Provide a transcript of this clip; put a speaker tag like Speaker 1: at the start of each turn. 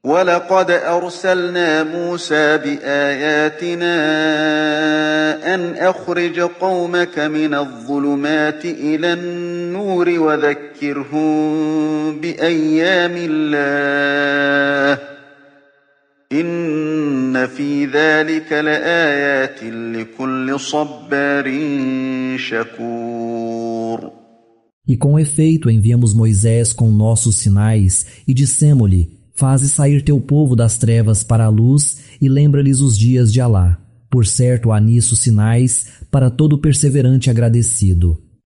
Speaker 1: وَلَقَدْ أَرْسَلْنَا مُوسَى بِآيَاتِنَا أَنْ أَخْرِجْ قَوْمَكَ مِنَ الظُّلُمَاتِ إِلَى النُّورِ وَذَكِّرْهُم بِأَيَّامِ اللَّهِ ۚ إِنَّ فِي ذَلِكَ لَآيَاتٍ لِكُلِّ صَبَّارٍ شَكُورٍ.
Speaker 2: E com efeito enviamos Moisés com nossos sinais e dissemo-lhe: faze sair teu povo das trevas para a luz e lembra-lhes os dias de Alá. Por certo há nisso sinais para todo perseverante agradecido.